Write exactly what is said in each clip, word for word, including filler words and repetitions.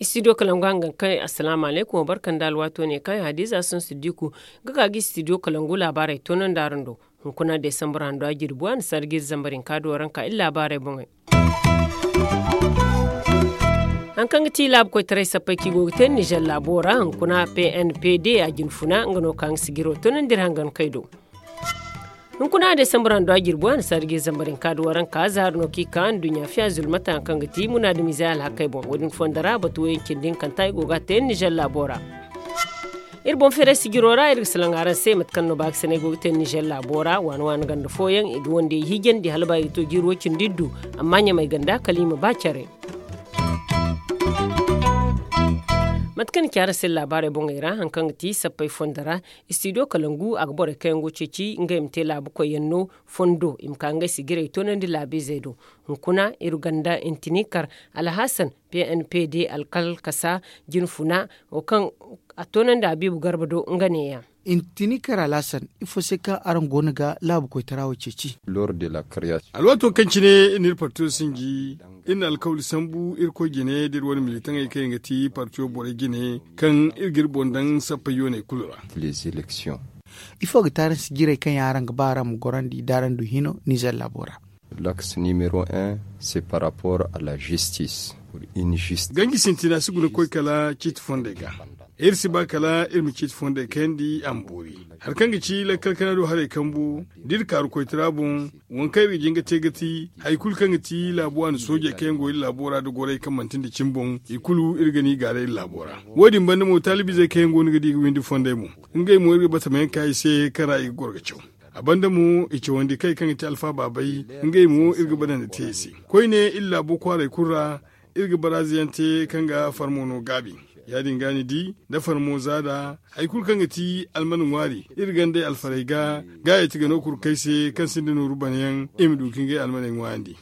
Istidiyo kalangu hangan kay, asalaamu alaykum, wa barka nda alwaato ne kaŋ hadiza sun siddiku ga ka ga istidiyo kalangu laabaarey toonandi araŋ do. Hunkuna desambur hando a jirbi waani sarga iri zambar hinka do waranka iri laabaarey boŋey. Hari kaŋ ga ti laabu koytaray sappey kaŋ i go ga te nizer laabo ra hunkuna p n p d a jinfuna nga no kaŋ ga sijiro toonandi iri hangan kay do. Hunkuna desambur hando a jirbi waani sarga iri zambar hinka do waranka zaari no kaŋ i ka nduɲɲa fiya zulmata hari kaŋ ga ti munaadamizey alhakey boŋ wo- din fondo ra batu wayaŋ cindi hinkanta i go ga a te nizer laabo ra. Iri boŋ feeray sijiro ra iri ga salaŋ araŋ se mate kaŋ no baakasinay go ga te nizer laabo ra waani waani ganda fooyaŋ i ga wandey hiijandi hala ba i ga to jiiri way-cindi iddu. Amma ɲamay ganda kala i ma ba care. Mate kaŋ ni ci araŋ se laabaarey boŋey ra hari kaŋ ga ti sappey fondo ra, istidiyo kalangu a ga borey kaŋ yaŋ go ga ceeci ngey ma te laabukoy yaŋ no fondo i ma ka ngey sijirey toonandi laabiizey do. Hunkuna iri ganda intinikar alhasan p n p d alkal kasa jinfuna wo kaŋ a toonandi habiibu garba do nga neeya. Intinikar alhasan, ifo se kaŋ araŋ go no ga laabu koytara wo ceeci? Alwaato kaŋ cine iri na iri partiyo sinji, iri na alkawli sambu irkoy jine da iri wane militaŋey kaŋ yaŋ ga ti partiyo borey jine kaŋ iri ga iri boŋ daŋ sappey yooney kulu ra. Ifo ga ti araŋ sijirey kaŋ yaŋ araŋ ga ba araŋ ma gorandi da araŋ du hino nizer laabo ra? Laks nimero un, se par rapport à la justice. Ganji sintina si guna koy kala ciiti fondey ga. Iri si ba kala iri ma ciiti fondey kayandi a ma boori. Hari kaŋ ga ci lakkal kana do haray kambu da iri kaaru koytara boŋ, waŋ kaŋ iri ga jin ga te ga ti hari kulu kaŋ ga ti laabu waani soojey kaŋ yaŋ go iri laabo ra da gorey kaŋ manti nda cimi boŋ, i kulu iri ga ni gaaray iri laabo ra. Wo- din banda mo taalibizey kaŋ yaŋ go no ga di ga windi fondey mo, ngey mo iri ga batamayaŋ ka i se kaŋ ra i ga goro ga caw. A banda mo i cawandi kay kaŋ ga ti alfa baabay, ngey mo iri ga badandi te i se. Koyne iri laabo kwaaray kulu ra, iri ga baraaza yaŋ te kaŋ ga farmo no gaabi. Ya- din ga ni di da farmo zaada hari kulu kaŋ ga ti alman ŋwaari iri gandey alfarey ga, ga ya ti ga no kurkey se kaŋ sinda nooru banayaŋ i ma du ka ngey almaney ŋwaayandi.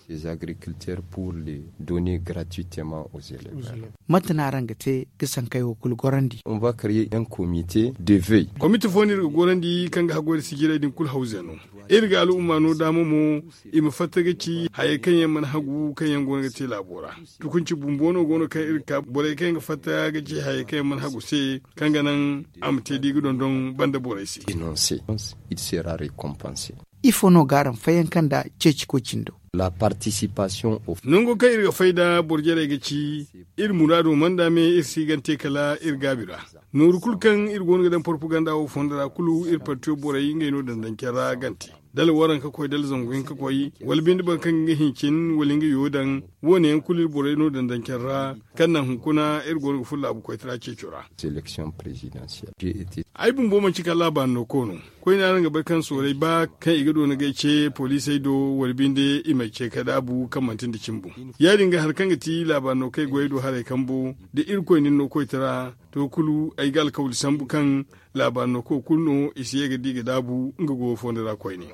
Mate no araŋ ga te ga sankey wo kulu gorandi? Komite fo no iri ga gorandi kaŋ ga haggoy nda sijirey din kulu hawze no. Iri ga al'umma no daama mo i ma fatta ga ci hayey kaŋ yaŋ mana hagu kaŋ yaŋ go no ga te laabo ra. Tukunci bumbo no go no kaŋ iri ga ka borey kaŋ yaŋ ga fatta ga ci hayey kaŋ yaŋ mana hagu se, kaŋ ga naŋ a ma te da i ga dondon banda borey se. Ifo no ga araŋ fayyaŋ kaŋ nda ceeci koy cindo? Nango kaŋ iri ga fay nda boro jarey ga ci, iri muraado mana nda me iri si gante kala iri gaabi ra. Nooru kulu kaŋ iri go no ga daŋ porpaganda wo fondo ra kulu iri partiyo borey ngey no daŋ daŋ care ra gante. Dala waranka koy dala zangu hinka koy, wala binde boro kaŋ ga nga hincin wala nga yo daŋ. Wo- ne yaŋ kulu iri borey no daŋ daŋ care ra, kaŋ naŋ hunkuna iri go no ga furo laabu koytara ceeco ra. Ay bumbo manti kala laabaari no koy no. Koyne araŋ ga bay kaŋ sooray ba kaŋ i ga doona ga ay ce poliisey do wala binde i m'ay ce ka daabu kaŋ manti nda cimi boŋ. Ya- din ga hari kaŋ ga ti laabaari no kaŋ ay goyey do haray kambo, da irkoy na ni no koytara, to kulu ay ga alkawli sambu kaŋ laabaari no koy kulu no i si ye ga di ga daabu nga go fondo ra koyne.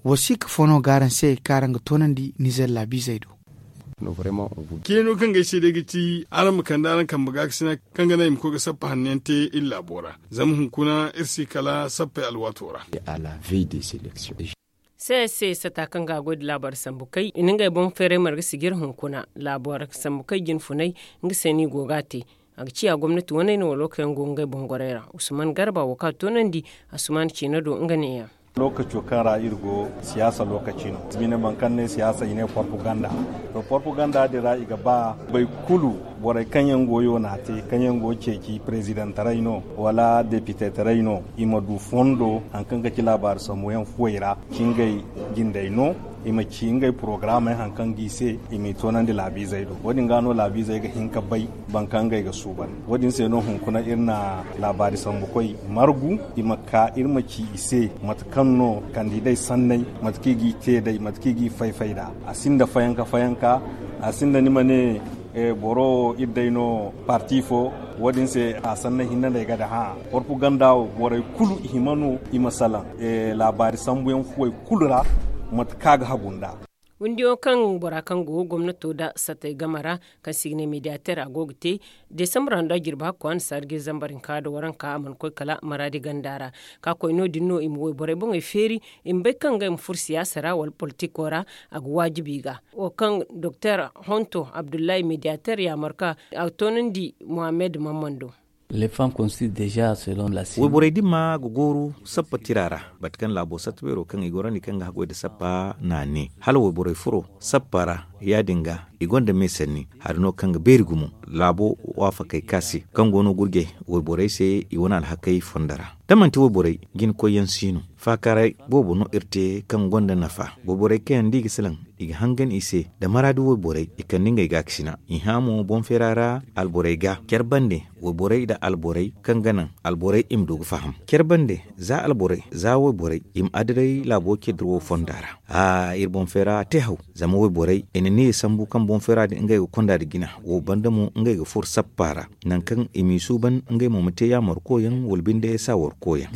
Wasiika fo no ga araŋ se kaŋ araŋ ga toonandi nizer laabiizey do? Ceeno kaŋ ga ay se day ga ti araŋ ma kande araŋ kambe gaakasina kaŋ ga naŋ i ma koy ga sappa hanno yaŋ te iri laabo ra. Zama hunkuna iri si kala sappey alwaato ra. Sesa sata kaŋ ga a goy nda laabaari sambu kay i na ngey boŋ feeray marga sijir hunkuna laabaari sambu kay jinfunay. Nga se no i go ga a te. A ga ciya gomnati waney no wala wo kaŋ yaŋ go ga ngey boŋ gorey ra usman garba wo kaŋ a toonandi. Asuman ciina do nga neeya. Lookaco kaŋ ra iri go siyaasa lookaci no. Bine boro kaŋ ne siyaasa i ne porpaganda. To porpaganda din ra i ga ba boro kulu, borey kaŋ yaŋ go yoona te kaŋ yaŋ go ceeci perezidantaray no, wala depitetaray no, i ma du fondo hari kaŋ ga ci laabaari sambu yaŋ fuwey ra, ci ngey jindey no, i ma ci ngey porogaramey hari kaŋ ga i se, i m'i toonandi laabiizey do. Wo- din ga no laabiizey ga hin ka bay boro kaŋ ngey ga suuban. Wo- din se no hunkuna iri na laabaari sambukoy margu, i ma ka iri ma ci i se mate kaŋ no kandidey sanney, mate kaŋ i g'i te day, mate kaŋ i g'i fay-fay nd'a. A sinda fayanka fayanka, a sinda ni ma ne boro wo iri day no parti fo. Wo- din se a sanney hinne no ay ga daŋ hã. Porpaganda wo borey kulu i hima no i ma salaŋ laabaari sambuyaŋ fuwey kulu ra, mate kaŋ a ga hagu nd'a. Gundiyo kaŋ bora kaŋ go gomnato nda sattey game ra, kaŋ se i ga ne mediyater a go ga te, desambur hando a jirbi hakku a na saara ga zambar hinka nda waranka a mana koy kala maraadi ganda ra. Ka koy no- din no i ma wayborey boŋey feeri, i ma bay kaŋ ngey ma furo siyaasa ra wala politiko ra. A ga waajibi i ga wo kaŋ doktor honto abdullahi mediyater yaamar ka a toonandi muhammad mammando. Wayborey dimma ga gooru sappa tira ra, bate kaŋ laabo satta beero kaŋ i gorandi kaŋ ga haggoy nda sappa naane hala wayborey furo sappa ra. Ya- din ga i gonda me sanni hari no kaŋ ga beeri gumo laabo waafakey ka se kaŋ go no gurjey wayborey se i wane alhakey fonda ra. Da manti wayborey jina koyyaŋ si no, faakaaray boobo no iri te kaŋ gonda nafa. Wayborey kaŋ yaŋ da i ga salaŋ i ga hangan i se nda maraadi wayborey i kande ngey gaakasina i hã mo boŋ feera ra. Alborey ga care bande wayborey nda alborey kaŋ ga naŋ alborey i ma du ga faham care bande za alborey za wayborey i ma adaray laabo care dirawo fonda ra. Iri boŋ feera te haw zama wayborey i na niya sambu kaŋ boŋ feera din ngey ga konda nda jina wo banda mo ngey ga furo sappa ra, nangu kaŋ i m'i suuban ngey mo ma te yaamarkoyaŋ wala binde saawarkoyaŋ.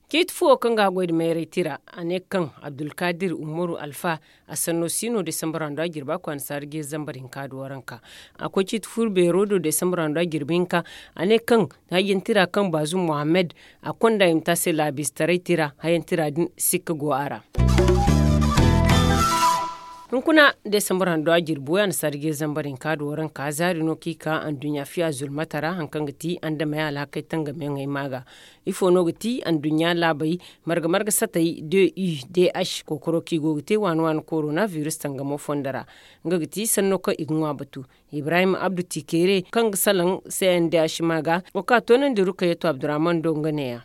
Ciiti fu wo kaŋ ga a goy nda mayray tira a ne kaŋ abdulkadir umaru alfa a sanno si no desambar hando a jirba kwaana saara ga zambar hinka nda waranka. A koy ciiti fu beero do desambar hando a jirbi hinka a ne kaŋ hayantira kaŋ baazum muhammad a konda i ma te a se laabiize taray tira hayantira din sikka go a ra. Hunkuna desambar hando a jirbi way a na saara ga zambar hinka nda waranka zaari no kaŋ i ka anduɲɲa fiya zulmata ra hari kaŋ ga ti andamey alhakey tangamayaŋey ma ga. Ifo no ga ti anduɲɲa laabey marga marga satey d u d h kookaro kaŋ i go ga te waani waani korona biris tangamo fondo ra. Nga ga ti sanno kaŋ i ga ŋwa batu. Ibrahim abdu tikere kaŋ ga salaŋ c n d h ma ga wo kaŋ a toonandi rukayatu abdurrahman do nga neeya.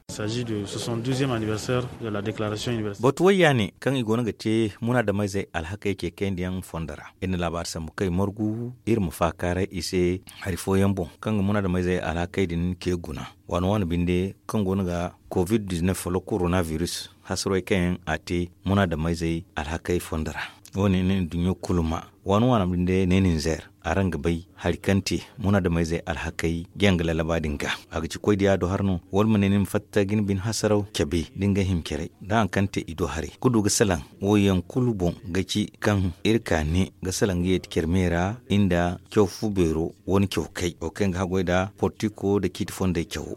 Batu wayya ne kaŋ i go no ga te munaadamayzey alhakey ce kayandiyaŋ fondo ra. Iri na laabaari sambu kaŋ i margu iri ma faakaaray i se hari fooyaŋ boŋ kaŋ ga munaadamayzey alhakey din ce guna. Waani waani binde kaŋ go no ga covid-19 wala korona biris hasarey kaŋ yaŋ a te munaadamayzey alhakey fondo ra. Wo- ne no iri duɲɲo kulu ma waani waani binde ne ninzeer araŋ ga bay hari kaŋ te munaadamayzey alhakey jaŋ ga lallaba din ga. A ga ci koy diya do har no wala ma ne ni ma fatta ga ni bine hasaraw cabe da ni ga hima caray da hari kaŋ te i do haray ga du ga salaŋ. Wo yaŋ kulu boŋ ga ci kaŋ iri ka ne ga salaŋ ga yeeti care me ra nda caw fu beero wane caw kay wo kaŋ ga haggoy nda portiko nda ciiti fondey cawo.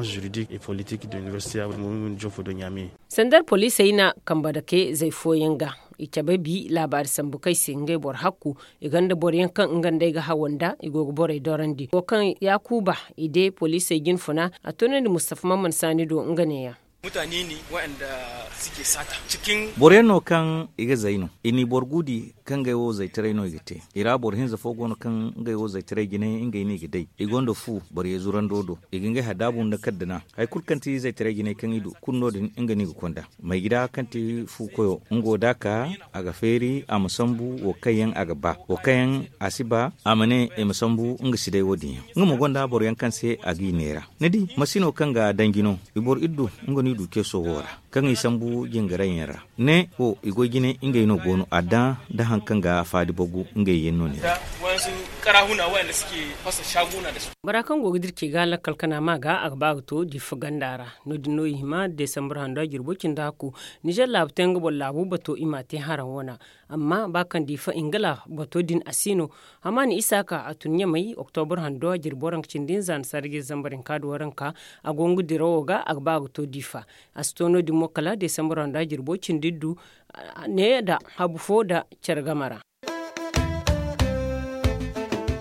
Sandar poliisey na kambe dake zay fooyaŋ ga i cabe bi laabaari sambu kaŋ ay se ngey boro hakku i gonda boro yaŋ kaŋ nga nd'ey ga hawa nda i go ga borey dorandi wo kaŋ yaakuba i de poliisey jinfuna a toonandi mustafa mamman saani do nga neeya. Boro yaŋ no kaŋ i ga zay no i n'i boro guudi kaŋ ngey wo zaytaray no i ga te. I ra boro hinza fo go no kaŋ ngey wo zaytaray jinay ngey no i ga day i gonda fu boro yeezu rando do i ga ngey hadaabu nda kaddana hari kulu kaŋ ti zaytaray jinay kaŋ i du kulu no- din nga no i ga konda. Maygida kaŋ ti fu koyo nga wo da a ka a ga feeri a ma sambu wo kaŋ yaŋ a ga ba wo kaŋ yaŋ a si ba a ma ne i ma sambu nga si day wo- din yaŋ. Nga mo gonda boro yaŋ kaŋ se a ga i neera ni di masino kaŋ ga danji no i boro iri du nga no i du ceeso wo ra kaŋ i sambu jingaray yaŋ ra. Ne wo i goy jine ngey no go no a daŋ da hari kaŋ ga faadi bagu ngey yaŋ no ne ra. Bora kaŋ go ga dira ce ga lakkal kana ma ga a ga ba ga to difa ganda ra. No- din no i hima desambar hando a jirbo cindi hakku nizer laabu te nga boro laabu bato i ma a te haraŋ wana. Amma ba kaŋ difa ingila bato din a si no. Hamaani isaaka a tun ɲamay oktobur hando a jirbo ranka cindi nza na sarji zambar hinka da waranka a go nga dirawo ga a ga ba ga to difa. A si to no- din mo kala desambar hando a jirbo cindi du ne da habu fo da care game ra.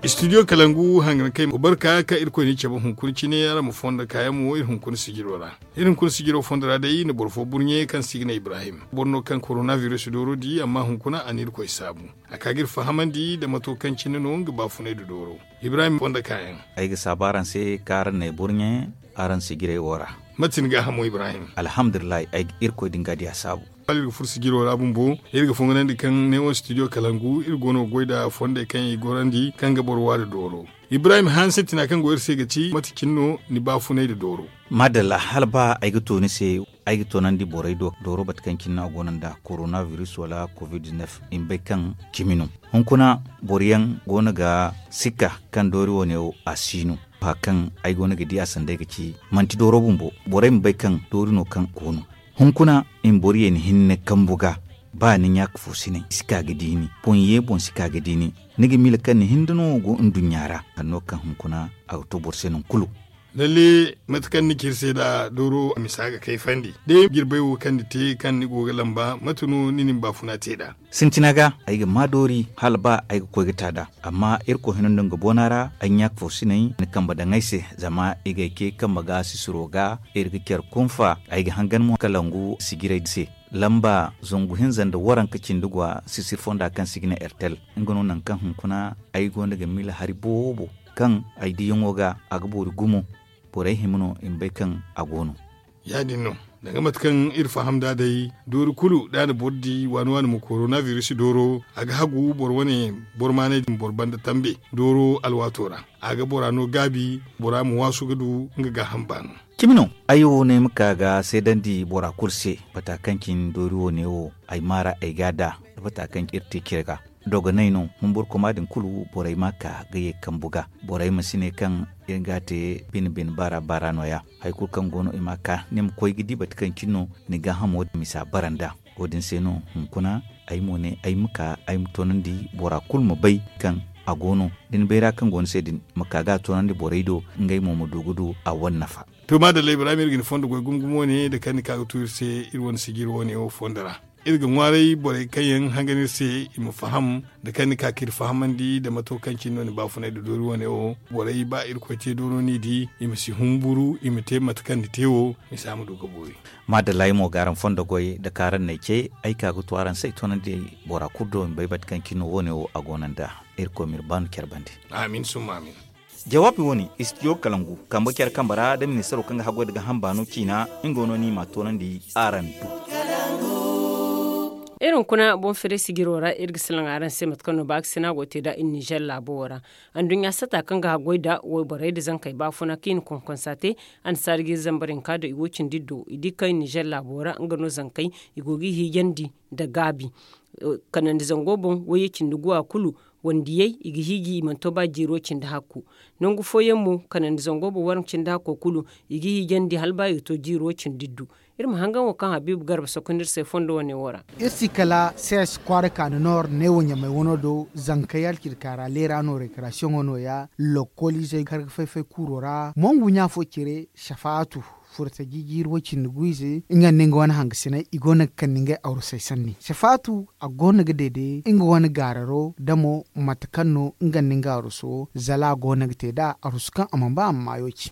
Istidiyo kalangu hangan kay barka ka irkoy ni cabe hunkuna cine ra ma fonda kayaŋ mo iri hunkuna sijiro ra. Iri hunkuna sijiro fondo ra day na boro fo burɲe kaŋ se i ga ne ibrahim boro no kaŋ korona biris dooro di amma hunkuna a na irkoy saabu. A ka ga iri fahamandi nda mato kaŋ cine no nga baafunay nda dooro. Ibrahim fondo kayaŋ. Ay ga saabu araŋ se kaŋ araŋ na ay burɲe araŋ sijirey wo ra. Mate ni gaahamo ibrahim? Alhamdulillahi ay ga irkoy din ga diya saabu. Hala iri ga furo sijiro ra bumbo iri ga fonganandi kaŋ ne wo studio kalangu iri go no ga goy nda fondey kaŋ i gorandi kaŋ ga boro waari dooro. Ibrahim hanse tina kaŋ go iri se ga ci mate cine no ni baafunay nda dooro? Maadalla hala ba ay ga to ni se ay ga toonandi borey do dooro bate kaŋ cine no a go no nda korona biris wala covid-19 i ma bay kaŋ cimi no. Hunkuna boro yaŋ go no ga sikka kaŋ doori wane wo a si no. Ba kaŋ ay go no ga di a sanda ay ga ci manti dooro bumbo borey ma bay kaŋ doori no kaŋ go no. Hunkuna i ma boro yeeni hinne kambu ga Ba ni ɲaaka fo si naŋ si ka ga di ni boŋ ye boŋ si ka ga di ni. Ni ga miila kaŋ ni hinda no go nduɲɲa ra. Hari no kaŋ hunkuna a ga to boro se nangu kulu. Lalle mate kaŋ ni ci iri se nd'a dooro misa ga kayfandi day jirbay wo kaŋ ni te kaŋ ni go ga lamba mate no ni na ni baafuna te nd'a? Sintina ga ay ga maa doori hala ba ay ga koy ga ta nd'a. Amma irkoy hino nda nga boona ra ay ɲaaka fo si naŋ ni kambe daŋ ay se. Zama i ga ay ce kambe ga sisiro ga iri ga care kunfa ay ga hangan mo kalangu sijiray se. Lamba zangu hinza nda waranka cindi gwa sisir fonda kaŋ se i ga ne ertel. Nga no nangu kaŋ hunkuna ay go no ga miila hari boobo kaŋ ay diyaŋo ga a ga boori gumo. Borey hima no i ma bay kaŋ a go no. Ya- din no danga mate kaŋ iri faham nd'a day doori kulu da a na boro di waani waani ma korona biris dooro a ga hagu boro wane boro maanay din boro banda tambe dooro alwaato ra. A ga bora no gaabi bora ma waasu ga du nga gaaham baano. Cimi no ay wo no ay ma ka ga seedandi bora kulu se. Bata kaŋ cine doori wo ne wo ay maara ay ga a da da bata kaŋ iri te cire ga. Dogonay no humburkoma din kulu borey ma ka ga ye kambu ga. Borey ma si ne kaŋ iri ga a te bine bine baara baara no- ya. Hari kulu kaŋ go no i ma ka ni ma koy ga di bata kaŋ cine no ni gaahamo misa bara nd'a. Wo- din se no hunkuna ay mo ne ay ma ka ay ma toonandi bora kulu ma bay kaŋ a go no da ni bayra kaŋ go ni se din ma ka ga a toonandi borey do. Ngey mo ma du ga du a wane nafa. To maadalla ibrahim iri ga ni fondo goy gumo gumo ne da kaŋ ni ka ga tu iri se iri wane sijiri wo- ne wo fondo ra. Iri ga ŋwaaray borey kaŋ yaŋ hangan iri se i ma faham da kaŋ ni ka ka iri fahamandi da mato kaŋ cine no ni baafunay da doori wo- ne wo. Borey ba irkoy te dooro no i di i ma si humburu i ma te mate kaŋ ni te wo. Misa ma du ga boori. Maadalla ay mo ga araŋ fondo goy da kaŋ araŋ n'ay ce ay ka ga tu araŋ se ay toonandi bora kulu do i ma bay mate kaŋ cine no wo- ne wo a go no nd'a. Irkoy ma iri baanu care bande. Amin summa amin. Jawaabi wo- ne istidiyo kalangu kambe care kambe ra da ministaro kaŋ ga haggoy da gaaham baano ciina. Nga no ni ma a toonandi araŋ do. Iri hunkuna boŋ fere sijiro ra iri ga salaŋ araŋ se mate kaŋ no baakasina go ga te nd'a iri nizer laabo wo ra. Anduɲɲa sata kaŋ ga haggoy nda wayborey nda zankey baafuna kaŋ i na konkonsa te. Annasaara ga iri zambar hinka do i wo cindi iddu i di kaŋ nizer laabo ra nga no zankey i go ga i hiijandi nda gaabi. Kanandi zango boŋ wayye cindi guwa kulu wandiyey i ga hiiji i mana to ba jiiro cindi hakku. Nangu fooyaŋ mo kanandi zango boŋ waranka cindi hakko kulu i ga hiijandi hala ba i ga to jiiro cindi iddu. Iri ma hangan wo kaŋ habiibu garba sokonda iri se fondo wane wo ra. Iri si kala sees kwaara kaani noor neewo ɲamay wano do zankey alcirka ra leera no rekarasiyoŋo nooya. Lokoliizey kaŋ ga fay-fay kuuro ra mongu ɲa fo cire safaatu furta jijiiri way-cindi gu ize nga nda nga wane hangasiney i go no ga kande ngey arusey sanni safaatu a go no ga deede nga wane gaararo da mo mate kaŋ no nga nda nga aruso zala a go no ga te nd'a arusu kaŋ a mana ba a ma maayo ci.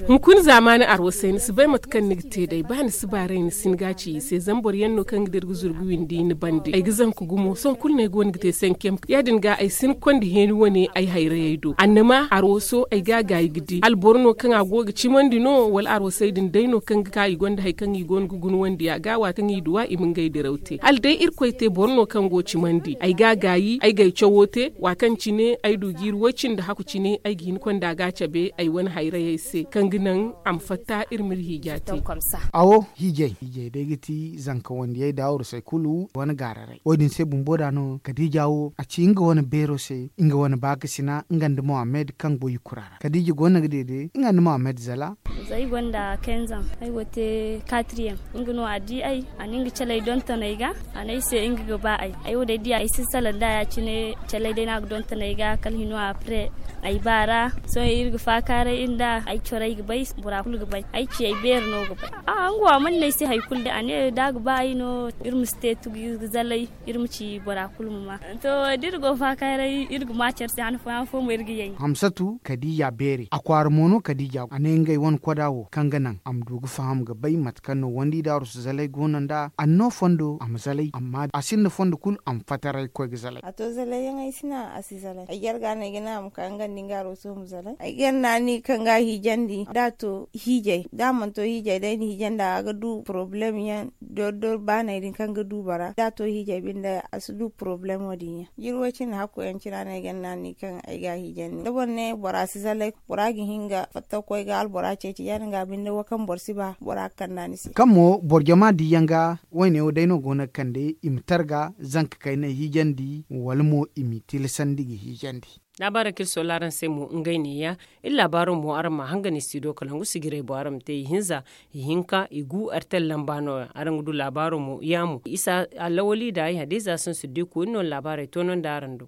Hunkuna zaamaani arwasey ni si bay mate kaŋ ni ga te day ba ni si baaray ni si ni ga a ci i se zama boro yaŋ no kaŋ ga dira ga zuru ga windi ni bande ay ga zanka gumo sohõ kulu no ay go no ga te sankem ya- din ga ay si ni konda heeni wane ay hayrayey do annama arwaso ay ga a gaayi ga di alboro no kaŋ a go ga cimandi no wala arwasey din day no kaŋ ga ka i gonda hari kaŋ i go no ga guna wandi a ga waati kaŋ i duwa i ma ngey diraw te hala day irkoy te boro no kaŋ go cimandi ay ga a gaayi ay ga ay cawo te waati kaŋ cine ay du jiiri way cindi haku cine ay ga hin konda ga a cabe ay wane hayrayey se kaŋ ga naŋ a ma fatta iri ma iri hiija te. Awo hiijay hiijay day ga ti zanka wandiyey da arusey kulu wane gaararay wo- din se bumbo da no kadiija wo a ci nga wane beero se nga wane baakasina nga nda mohammed kaŋ go i kura ra kadiija go no ga deede nga nda mohammed zala. Za ay gonda kenzaŋ ay go te katriyeŋ nga no a di ay a na nga calay donton ay ga a ne ay se nga ga ba ay ay wo day diya ay si salaŋ da ya- cine calay day no a ga donton ay ga kala hino apre ay ba ra. Sohõ iri ga faakaaray iri nda ay corey ga bay bora kulu ga bay ay ci ay beeri no ga bay. Nga wo a mana ne ay se hari kulu day a ne da a ga ba ay no iri ma si te tugu iri ga zalay iri ma ci bora kulu ma ma. To da iri go faakaaray iri ga ma care se han fooyaŋ fo mo iri ga yay. Hamsatu kadiija beeri a kwaara mo no kadiija a ne ngey wane koda wo kaŋ ga naŋ a ma du ga faham ga bay mate kaŋ no wandi daaru si zalay go no nd'a a na no fondo a ma zalay amma a sinda fondo kulu a ma fataray ga koy ga zalay. A to zalay yaŋ ay si naŋ a si zalay ay jarga no ay ga naŋ a ma ka nga nda nga aro sohõ ma zalay ay ga naani kaŋ ga a hiijandi da a to hiijay da a mana to hiijay day na hiijandi a ga du porobalem yaŋ dor dor baanay din kaŋ ga du bora da a to hiijay binde a si du porobalem wo- din yaŋ jiri way cindi hakku yaŋ cina no ay ga naani kaŋ ay ga a hiijandi da boro ne bora si zalay bora ga hin ga fatta ga koy ga albora ceeci ya- din ga binde wo kaŋ boro si ba bora ga kand'a ni se. Kaŋ mo boro jama diyaŋ ga wayne wo day no go no ga kande i ma targa zanka kaynay hiijandi wala mo i m'i tilasandi ga hiijandi. Laabaarey kaŋ iri sohõ araŋ se mo ngey neeya. Iri laabaaro mo araŋ ma a hangan i si do kala ngu sijirey boŋ araŋ ma te ihinza, ihinka igu artel lamba nooya araŋ ga du laabaaro mo yaamo isa, alawali nda ay hadiza sansu da i koy iri no laabaarey toonandi araŋ do.